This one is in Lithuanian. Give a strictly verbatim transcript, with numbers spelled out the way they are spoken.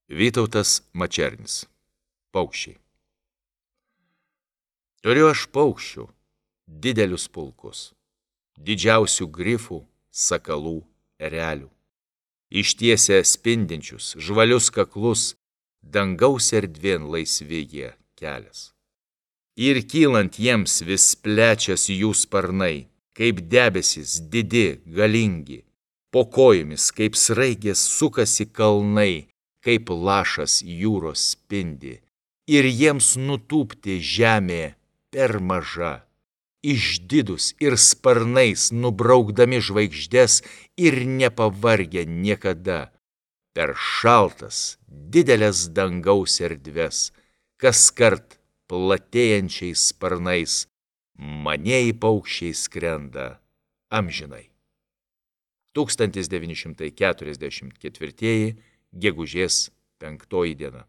Vytautas Mačernis. Paukščiai. Turiu aš paukščių, didelius pulkus, didžiausių grifų, sakalų, erelių. Ištiesia spindinčius, žvalius kaklus, dangaus erdvėn laisvi jie kelias. Ir kylant jiems vis plečias jų sparnai, kaip debesis didi, galingi, po kojomis kaip sraigės sukasi kalnai, kaip lašas jūros spindi, ir jiems nutūpti žemė per maža, išdidus ir sparnais nubraukdami žvaigždes ir nepavargę niekada, per šaltas, didelės dangaus erdves, kaskart platėjančiais sparnais, manieji paukščiai skrenda amžinai. tūkstantis devyni šimtai keturiasdešimt ketvirtieji gegužės penktoji diena.